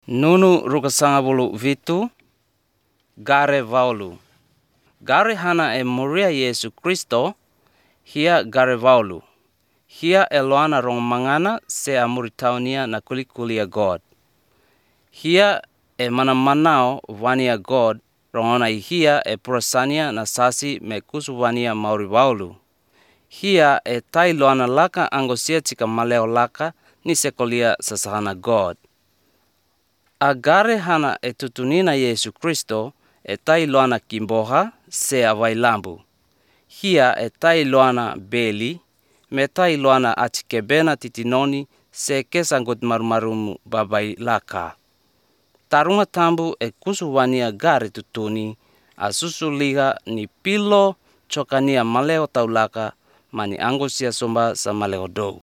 Nunu rukasangabulu vitu gare vaulu. Gare hana e moria Yesu Kristo hia gare vaulu. Hia eloana rong mangana se amuritaunia na kulikulia God. Hia e manamanao vania God rongona hia e purasania na sasi me kusuvania mauri vaulu. Hia e tai loana laka angosia tika maleo laka ni sekolia sasahana God. Agare hana e tutunina Yesu Kristo e tai loana kimboha se availambu. Hia e tai loana beli me tai loana atikebena titinoni se kesangut marumarumu babai laka. Tarunga tambu e kusuwania gare tutuni asusuliga ni pilo chokania maleo taulaka mani angosia somba sa maleo dou.